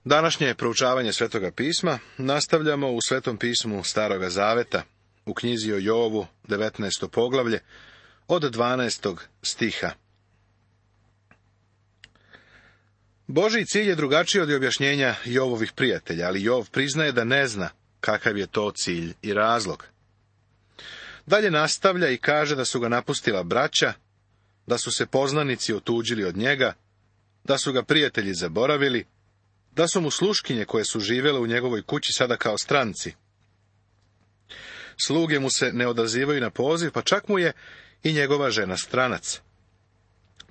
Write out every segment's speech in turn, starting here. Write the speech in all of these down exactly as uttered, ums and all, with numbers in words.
Današnje proučavanje Svetoga pisma nastavljamo u Svetom pismu Staroga zaveta, u knjizi o Jovu, devetnaesto poglavlje, od dvanaestog stiha. Božji cilj je drugačiji od objašnjenja Jovovih prijatelja, ali Jov priznaje da ne zna kakav je to cilj i razlog. Dalje nastavlja i kaže da su ga napustila braća, da su se poznanici otuđili od njega, da su ga prijatelji zaboravili, da su mu sluškinje koje su živjele u njegovoj kući sada kao stranci. Sluge mu se ne odazivaju na poziv, pa čak mu je i njegova žena stranac.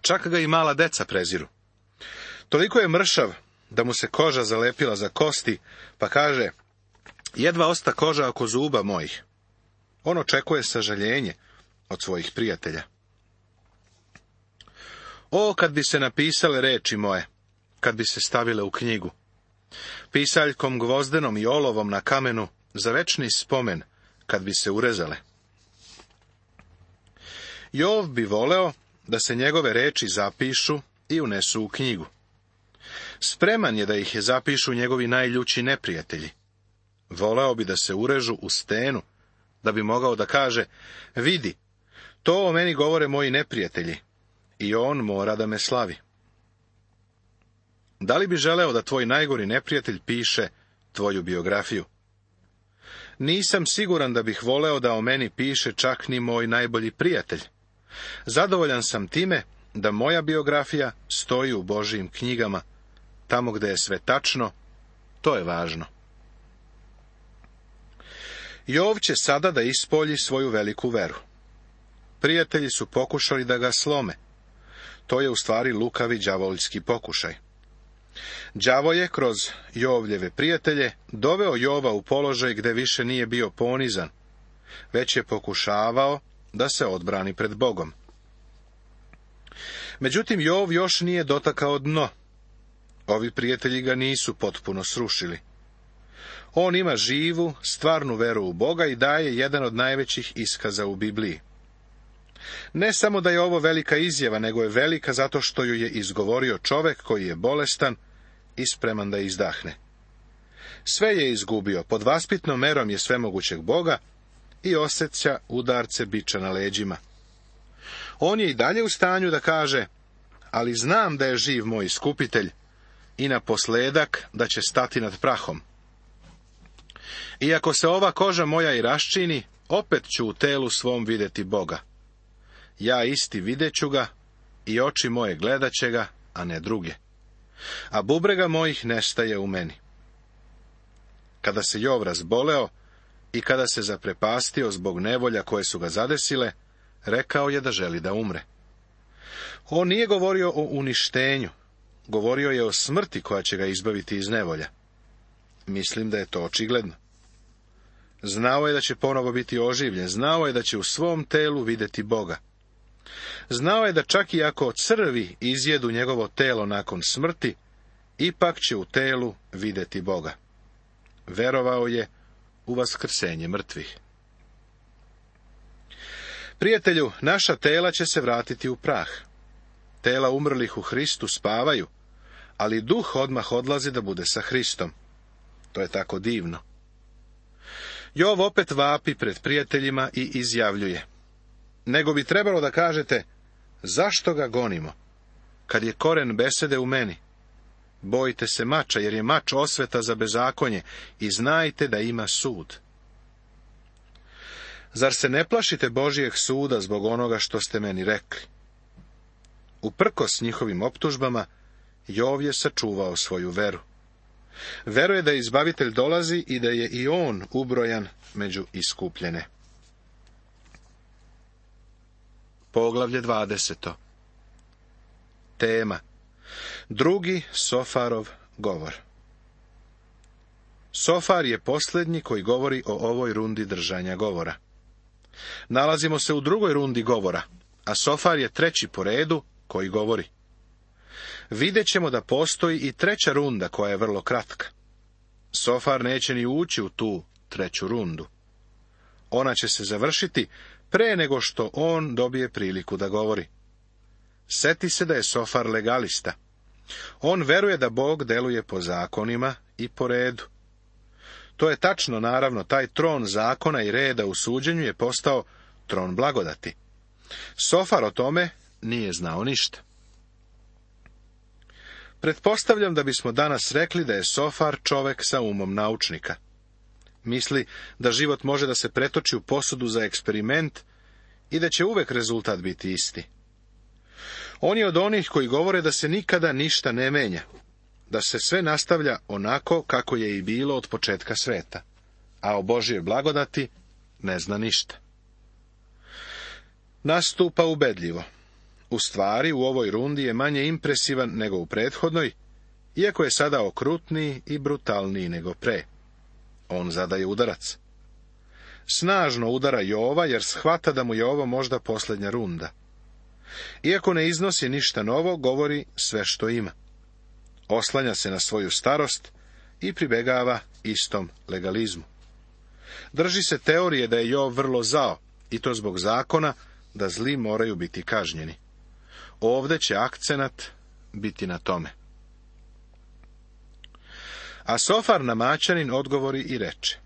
Čak ga i mala deca preziru. Toliko je mršav da mu se koža zalepila za kosti, pa kaže, jedva osta koža oko zuba mojih. On očekuje sažaljenje od svojih prijatelja. O, kad bi se napisale reči moje, kad bi se stavile u knjigu, pisaljkom gvozdenom i olovom na kamenu, za večni spomen, kad bi se urezale. Jov bi voleo da se njegove reči zapišu i unesu u knjigu. Spreman je da ih je zapišu njegovi najljući neprijatelji. Voleo bi da se urežu u stenu, da bi mogao da kaže, vidi, to o meni govore moji neprijatelji, i on mora da me slavi. Da li bi želeo da tvoj najgori neprijatelj piše tvoju biografiju? Nisam siguran da bih voleo da o meni piše čak ni moj najbolji prijatelj. Zadovoljan sam time da moja biografija stoji u Božijim knjigama, tamo gde je sve tačno, to je važno. Jov će sada da ispolji svoju veliku veru. Prijatelji su pokušali da ga slome. To je u stvari lukavi đavoljski pokušaj. Đavo je kroz Jovljeve prijatelje doveo Jova u položaj gde više nije bio ponizan, već je pokušavao da se odbrani pred Bogom. Međutim, Jov još nije dotakao dno. Ovi prijatelji ga nisu potpuno srušili. On ima živu, stvarnu veru u Boga i daje jedan od najvećih iskaza u Bibliji. Ne samo da je ovo velika izjava, nego je velika zato što ju je izgovorio čovek koji je bolestan i spreman da izdahne. Sve je izgubio, pod vaspitnom merom je svemogućeg Boga i osjeća udarce biča na leđima. On je i dalje u stanju da kaže, ali znam da je živ moj iskupitelj i naposledak da će stati nad prahom. Iako se ova koža moja i raščini, opet ću u telu svom vidjeti Boga. Ja isti videću ga i oči moje gledat će ga, a ne druge. A bubrega mojih nestaje u meni. Kada se Jov razboleo i kada se zaprepastio zbog nevolja koje su ga zadesile, rekao je da želi da umre. On nije govorio o uništenju, govorio je o smrti koja će ga izbaviti iz nevolja. Mislim da je to očigledno. Znao je da će ponovo biti oživljen, znao je da će u svom telu vidjeti Boga. Znao je da čak i ako crvi izjedu njegovo telo nakon smrti, ipak će u telu vidjeti Boga. Verovao je u vaskrsenje mrtvih. Prijatelju, naša tela će se vratiti u prah. Tela umrlih u Hristu spavaju, ali duh odmah odlazi da bude sa Hristom. To je tako divno. Jov opet vapi pred prijateljima i izjavljuje, nego bi trebalo da kažete, zašto ga gonimo, kad je koren besede u meni? Bojite se mača, jer je mač osveta za bezakonje, i znajte da ima sud. Zar se ne plašite Božijeg suda zbog onoga što ste meni rekli? Uprkos njihovim optužbama, Jov je sačuvao svoju veru. Veruje da izbavitelj dolazi i da je i on ubrojan među iskupljene. Poglavlje dvadeseto. Tema. Drugi Sofarov govor. Sofar je posljednji koji govori o ovoj rundi držanja govora. Nalazimo se u drugoj rundi govora, a Sofar je treći po redu koji govori. Vidjet ćemo da postoji i treća runda koja je vrlo kratka. Sofar neće ni ući u tu treću rundu. Ona će se završiti pre nego što on dobije priliku da govori. Seti se da je Sofar legalista. On veruje da Bog deluje po zakonima i po redu. To je tačno, naravno, taj tron zakona i reda u suđenju je postao tron blagodati. Sofar o tome nije znao ništa. Pretpostavljam da bismo danas rekli da je Sofar čovek sa umom naučnika. Misli da život može da se pretoči u posudu za eksperiment i da će uvek rezultat biti isti. On je od onih koji govore da se nikada ništa ne menja, da se sve nastavlja onako kako je i bilo od početka sveta, a o Božjoj blagodati ne zna ništa. Nastupa ubedljivo. U stvari, u ovoj rundi je manje impresivan nego u prethodnoj, iako je sada okrutniji i brutalniji nego pre. On zadaje udarac. Snažno udara Jova, jer shvata da mu je ovo možda posljednja runda. Iako ne iznosi ništa novo, govori sve što ima. Oslanja se na svoju starost i pribegava istom legalizmu. Drži se teorije da je Jov vrlo zao, i to zbog zakona da zli moraju biti kažnjeni. Ovde će akcenat biti na tome. A Sofar Namaćanin odgovori i reče: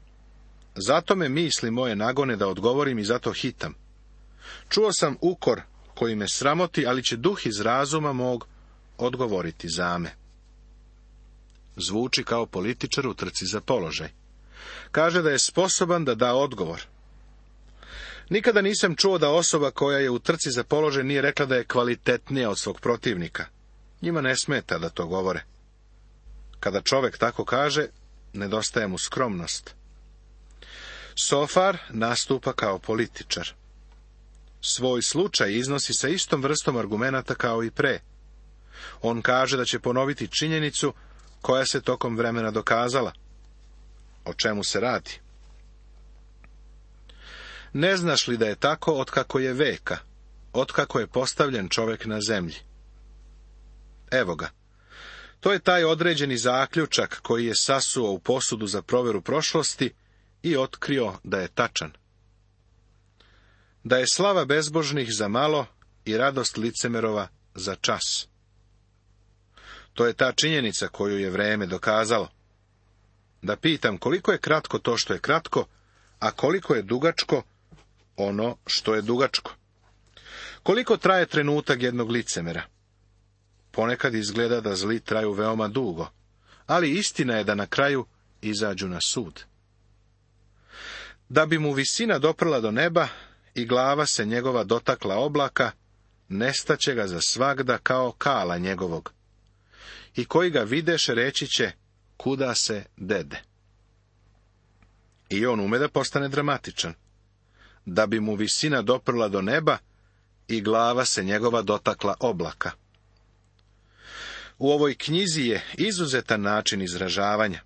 zato me misli moje nagone da odgovorim i zato hitam. Čuo sam ukor koji me sramoti, ali će duh iz razuma mog odgovoriti za me. Zvuči kao političar u trci za položaj. Kaže da je sposoban da da odgovor. Nikada nisam čuo da osoba koja je u trci za položaj nije rekla da je kvalitetnija od svog protivnika. Njima ne smeta da to govore. Kada čovek tako kaže, nedostaje mu skromnost. Sofar nastupa kao političar. Svoj slučaj iznosi sa istom vrstom argumenata kao i pre. On kaže da će ponoviti činjenicu koja se tokom vremena dokazala. O čemu se radi? Ne znaš li da je tako otkako je veka, otkako je postavljen čovek na zemlji? Evo ga. To je taj određeni zaključak koji je sasuo u posudu za proveru prošlosti i otkrio da je tačan. Da je slava bezbožnih za malo i radost licemerova za čas. To je ta činjenica koju je vreme dokazalo. Da pitam koliko je kratko to što je kratko, a koliko je dugačko ono što je dugačko. Koliko traje trenutak jednog licemera? Ponekad izgleda da zli traju veoma dugo, ali istina je da na kraju izađu na sud. Da bi mu visina doprla do neba i glava se njegova dotakla oblaka, nestaće ga za svagda kao kala njegovog. I koji ga videše reći će, kuda se dede. I on ume da postane dramatičan. Da bi mu visina doprla do neba i glava se njegova dotakla oblaka. U ovoj knjizi je izuzetan način izražavanja.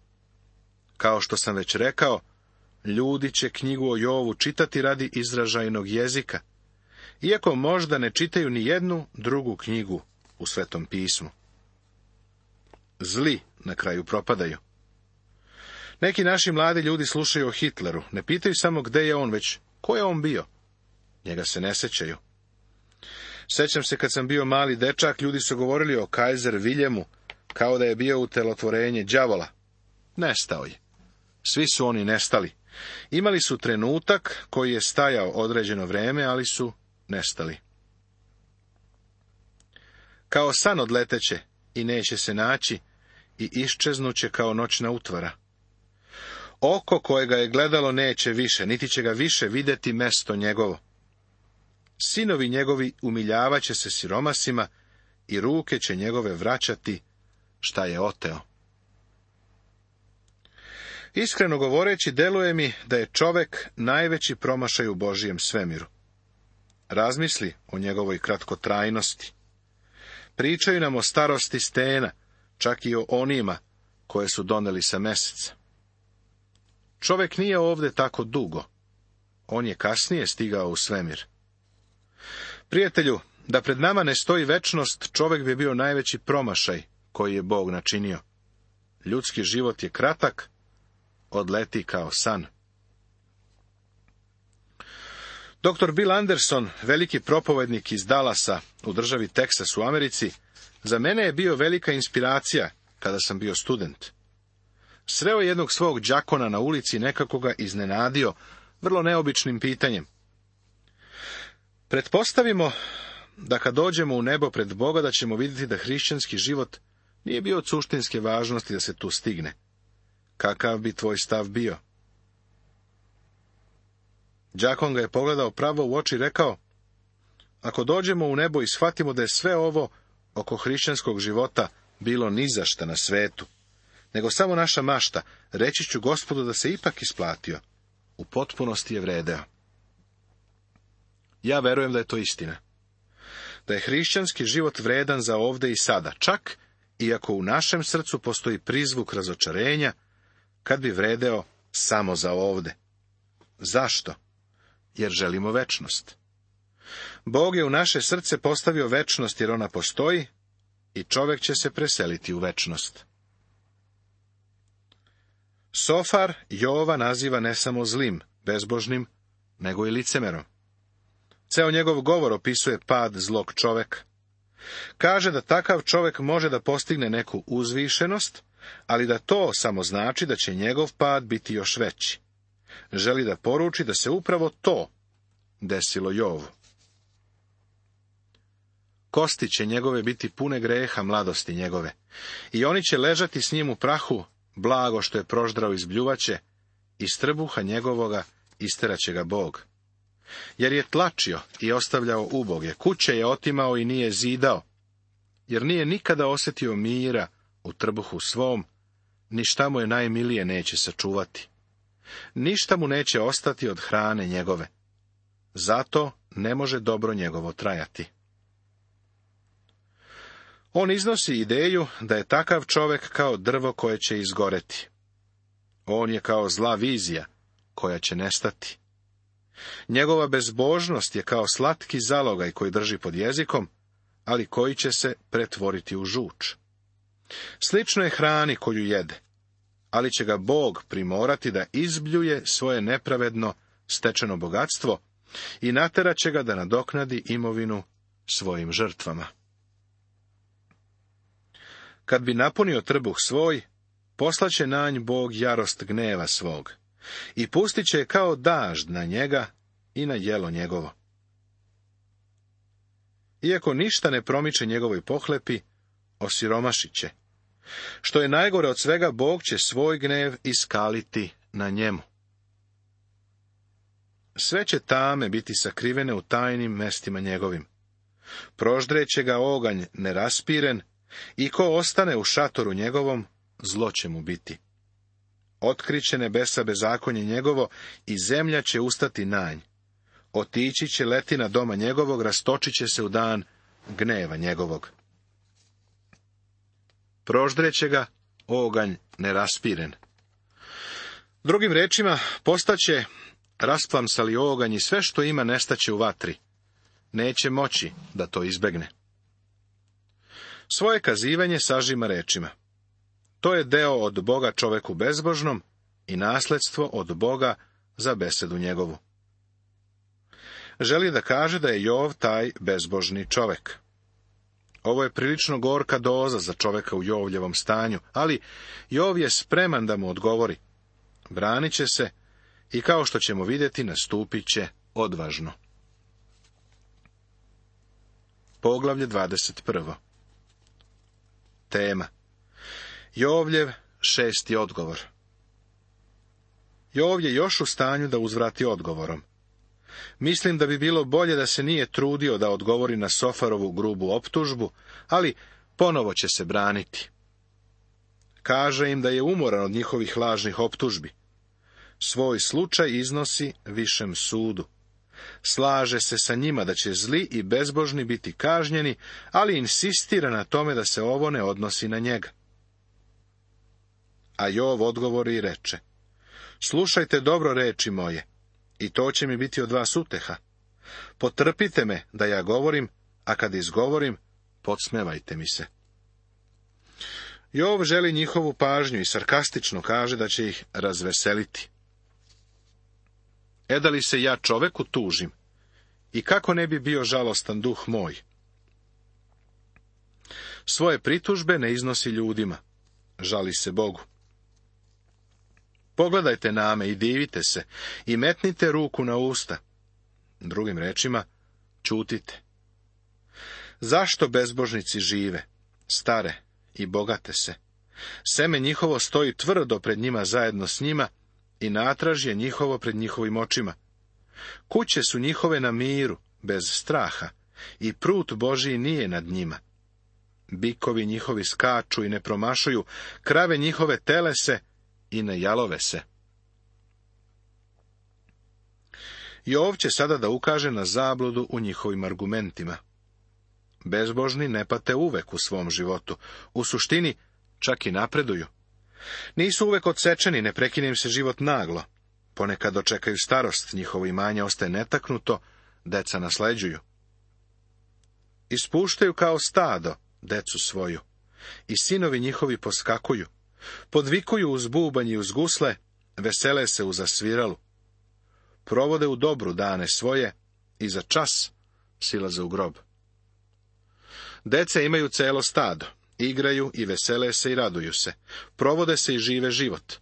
Kao što sam već rekao, ljudi će knjigu o Jovu čitati radi izražajnog jezika, iako možda ne čitaju ni jednu drugu knjigu u Svetom pismu. Zli na kraju propadaju. Neki naši mladi ljudi slušaju o Hitleru, ne pitaju samo gde je on, već ko je on bio. Njega se ne sećaju. Sećam se kad sam bio mali dečak, ljudi su govorili o Kajzer Viljemu, kao da je bio utelotvorenje đavola. Nestao je. Svi su oni nestali. Imali su trenutak koji je stajao određeno vreme, ali su nestali. Kao san odleteće i neće se naći i iščeznuće kao noćna utvara. Oko koje ga je gledalo neće više, niti će ga više videti mesto njegovo. Sinovi njegovi umiljavaće se siromasima i ruke će njegove vraćati šta je oteo. Iskreno govoreći, deluje mi da je čovek najveći promašaj u Božijem svemiru. Razmisli o njegovoj kratkotrajnosti. Pričaju nam o starosti stena, čak i o onima koje su doneli sa meseca. Čovek nije ovde tako dugo. On je kasnije stigao u svemir. Prijatelju, da pred nama ne stoji večnost, čovek bi bio najveći promašaj koji je Bog načinio. Ljudski život je kratak, odleti kao san. doktor Bill Anderson, veliki propovednik iz Dallasa u državi Teksas u Americi, Za mene je bio velika inspiracija kada sam bio student. Sreo jednog svog đakona na ulici i nekako ga iznenadio vrlo neobičnim pitanjem. Pretpostavimo da kad dođemo u nebo pred Boga da ćemo vidjeti da hrišćanski život nije bio od suštinske važnosti da se tu stigne. Kakav bi tvoj stav bio? Đakon ga je pogledao pravo u oči i rekao: ako dođemo u nebo i shvatimo da je sve ovo oko hrišćanskog života bilo nizašta na svetu, nego samo naša mašta, reći ću Gospodu da se ipak isplatio. U potpunosti je vredeo. Ja verujem da je to istina. Da je hrišćanski život vredan za ovde i sada, čak iako u našem srcu postoji prizvuk razočarenja, kad bi vredeo samo za ovde. Zašto? Jer želimo večnost. Bog je u naše srce postavio večnost jer ona postoji i čovjek će se preseliti u večnost. Sofar Jova naziva ne samo zlim, bezbožnim, nego i licemerom. Ceo njegov govor opisuje pad zlog čoveka. Kaže da takav čovjek može da postigne neku uzvišenost, ali da to samo znači da će njegov pad biti još veći. Želi da poruči da se upravo to desilo Jovu. Kosti će njegove biti pune greha mladosti njegove, i oni će ležati s njim u prahu, blago što je proždrao iz bljuvače, iz trbuha njegovoga isteraće ga Bog. Jer je tlačio i ostavljao uboge, kuće je otimao i nije zidao, jer nije nikada osjetio mira u trbuhu svom, ni šta mu je najmilije neće sačuvati. Ništa mu neće ostati od hrane njegove. Zato ne može dobro njegovo trajati. On iznosi ideju da je takav čovjek kao drvo koje će izgoreti. On je kao zla vizija koja će nestati. Njegova bezbožnost je kao slatki zalogaj koji drži pod jezikom, ali koji će se pretvoriti u žuč. Slično je hrani koju jede, ali će ga Bog primorati da izbljuje svoje nepravedno stečeno bogatstvo i naterat će ga da nadoknadi imovinu svojim žrtvama. Kad bi napunio trbuh svoj, poslaće na nj Bog jarost gneva svog i pustit će kao dažd na njega i na jelo njegovo. Iako ništa ne promiče njegovoj pohlepi, osiromašit će. Što je najgore od svega, Bog će svoj gnev iskaliti na njemu. Sve će tame biti sakrivene u tajnim mestima njegovim. Proždreće ga oganj neraspiren, i ko ostane u šatoru njegovom, zlo će mu biti. Otkriće nebesa bezakonje njegovo i zemlja će ustati na nj. Otići će letina doma njegovog, rastočit će se u dan gneva njegovog. Proždreće ga oganj neraspiren. Drugim rečima, postaće rasplamsali oganj i sve što ima nestaće u vatri. Neće moći da to izbegne. Svoje kazivanje sažima rečima: to je deo od Boga čoveku bezbožnom i nasledstvo od Boga za besedu njegovu. Želi da kaže da je Jov taj bezbožni čovek. Ovo je prilično gorka doza za čoveka u Jovljevom stanju, ali Jov je spreman da mu odgovori. Branit će se i, kao što ćemo vidjeti, nastupit će odvažno. Poglavlje dvadeset prvo. Tema: Jovljev šesti odgovor. Jov je još u stanju da uzvrati odgovorom. Mislim da bi bilo bolje da se nije trudio da odgovori na Sofarovu grubu optužbu, ali ponovo će se braniti. Kaže im da je umoran od njihovih lažnih optužbi. Svoj slučaj iznosi višem sudu. Slaže se sa njima da će zli i bezbožni biti kažnjeni, ali insistira na tome da se ovo ne odnosi na njega. A Jov odgovori i reče: slušajte dobro reči moje, i to će mi biti od vas uteha. Potrpite me da ja govorim, a kad izgovorim, podsmevajte mi se. Jov želi njihovu pažnju i sarkastično kaže da će ih razveseliti. E da li se ja čoveku tužim? I kako ne bi bio žalostan duh moj? Svoje pritužbe ne iznosi ljudima, žali se Bogu. Pogledajte na me i divite se, i metnite ruku na usta. Drugim rečima, ćutite. Zašto bezbožnici žive, stare i bogate se? Seme njihovo stoji tvrdo pred njima zajedno s njima i natraž je njihovo pred njihovim očima. Kuće su njihove na miru, bez straha, i prut Božiji nije nad njima. Bikovi njihovi skaču i ne promašuju, krave njihove telese i ne jalove se. Jov će sada da ukaže na zabludu u njihovim argumentima. Bezbožni ne pate uvek u svom životu, u suštini čak i napreduju. Nisu uvek odsečeni, ne prekine im se život naglo. Ponekad dočekaju starost, njihovo imanje ostaje netaknuto, deca nasleđuju. Ispuštaju kao stado decu svoju, i sinovi njihovi poskakuju, podvikuju uz bubanj i uz gusle, vesele se u zasviralu. Provode u dobru dane svoje i za čas silaze u grob. Dece imaju celo stado, igraju i vesele se i raduju se, provode se i žive život.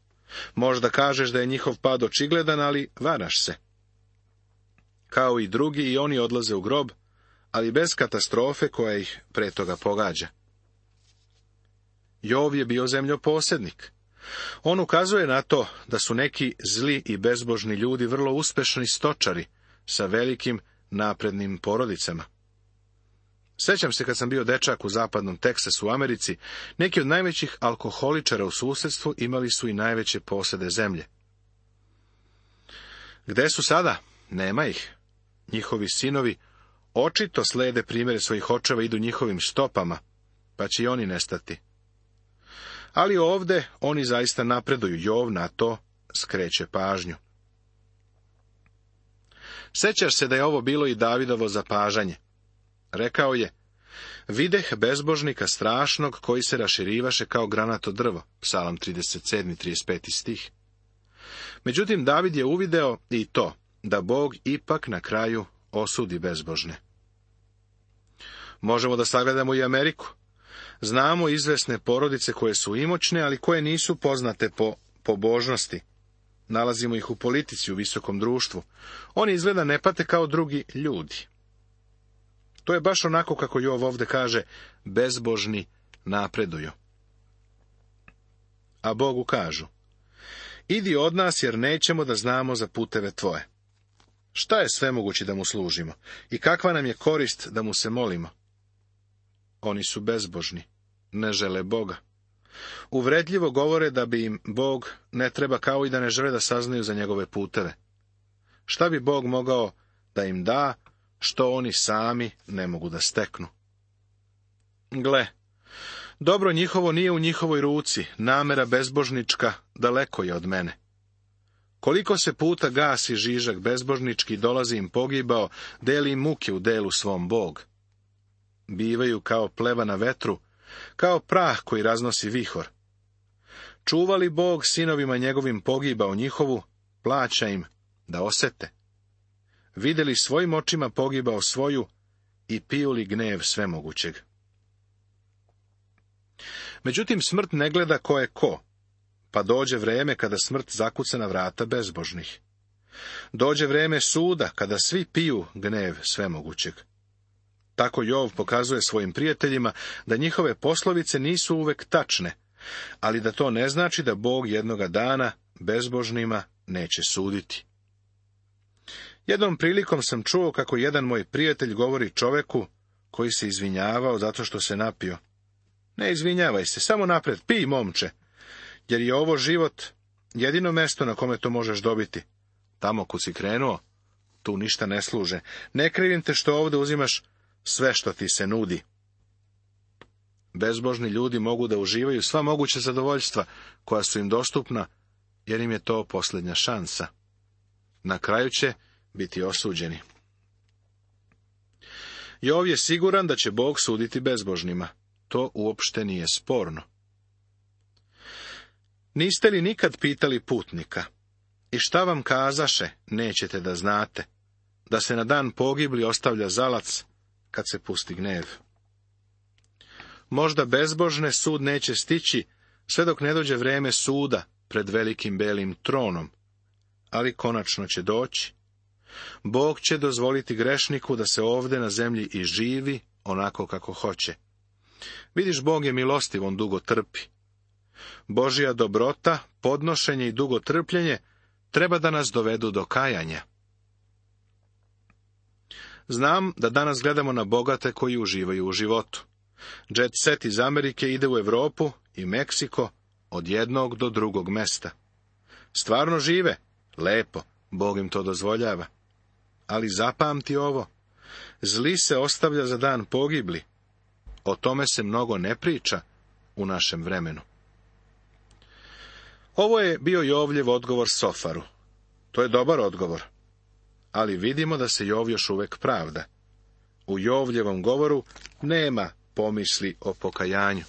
Možda kažeš da je njihov pad očigledan, ali varaš se. Kao i drugi, i oni odlaze u grob, ali bez katastrofe koja ih pre toga pogađa. Jov je bio zemljoposednik. On ukazuje na to da su neki zli i bezbožni ljudi vrlo uspešni stočari sa velikim naprednim porodicama. Sjećam se kad sam bio dečak u zapadnom Teksasu u Americi, neki od najvećih alkoholičara u susjedstvu imali su i najveće posede zemlje. Gde su sada? Nema ih. Njihovi sinovi očito slede primjere svojih očeva, idu njihovim stopama, pa će i oni nestati. Ali ovde oni zaista napreduju, Jov na to skreće pažnju. Sećaš se da je ovo bilo i Davidovo zapažanje. Rekao je, videh bezbožnika strašnog koji se raširivaše kao granato drvo, Psalam trideset sedmi, trideset peti stih. Međutim, David je uvideo i to, da Bog ipak na kraju osudi bezbožne. Možemo da sagledamo i Ameriku. Znamo izvesne porodice koje su imućne, ali koje nisu poznate po pobožnosti. Nalazimo ih u politici, u visokom društvu. Oni izgleda ne pate kao drugi ljudi. To je baš onako kako Jov ovde kaže, bezbožni napreduju. A Bogu kažu, idi od nas jer nećemo da znamo za puteve tvoje. Šta je svemogući da mu služimo i kakva nam je korist da mu se molimo? Oni su bezbožni, ne žele Boga. Uvredljivo govore da bi im Bog ne treba, kao i da ne žele da saznaju za njegove puteve. Šta bi Bog mogao da im da, što oni sami ne mogu da steknu? Gle, dobro njihovo nije u njihovoj ruci, namera bezbožnička daleko je od mene. Koliko se puta gasi žižak bezbožnički, dolazi im pogibao, deli im muke u delu svom Bog. Bivaju kao pleva na vetru, kao prah koji raznosi vihor. Čuvali Bog sinovima njegovim pogibao njihovu, plaća im da osete. Videli svojim očima pogibao svoju i piju li gnev svemogućeg. Međutim, smrt ne gleda ko je ko, pa dođe vreme kada smrt zakuca na vrata bezbožnih. Dođe vreme suda kada svi piju gnev svemogućeg. Tako Jov pokazuje svojim prijateljima da njihove poslovice nisu uvek tačne, ali da to ne znači da Bog jednoga dana bezbožnima neće suditi. Jednom prilikom sam čuo kako jedan moj prijatelj govori čoveku koji se izvinjavao zato što se napio. Ne izvinjavaj se, samo napred, pij, momče, jer je ovo život jedino mesto na kome to možeš dobiti. Tamo kud si krenuo, tu ništa ne služe. Ne krivim te što ovde uzimaš sve što ti se nudi. Bezbožni ljudi mogu da uživaju sva moguća zadovoljstva koja su im dostupna, jer im je to posljednja šansa. Na kraju će biti osuđeni. Jov je siguran da će Bog suditi bezbožnima. To uopšte nije sporno. Niste li nikad pitali putnika, i šta vam kazaše, nećete da znate, da se na dan pogibli ostavlja zalac kad se pusti gnev? Možda bezbožne sud neće stići, sve dok ne dođe vrijeme suda pred velikim belim tronom, ali konačno će doći. Bog će dozvoliti grešniku da se ovdje na zemlji i živi onako kako hoće. Vidiš, Bog je milostiv, on dugo trpi. Božja dobrota, podnošenje i dugo trpljenje treba da nas dovedu do kajanja. Znam da danas gledamo na bogate koji uživaju u životu. Jet set iz Amerike ide u Europu i Meksiko od jednog do drugog mesta. Stvarno žive, lepo, Bog im to dozvoljava. Ali zapamti ovo, zli se ostavlja za dan pogibli. O tome se mnogo ne priča u našem vremenu. Ovo je bio Jovljev odgovor Sofaru. To je dobar odgovor. Ali vidimo da se Jov još uvijek pravda. U Jovljevom govoru nema pomisli o pokajanju.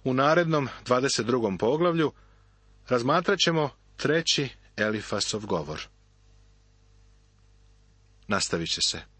U narednom dvadeset drugom poglavlju razmatrat ćemo treći Elifasov govor. Nastavit će se.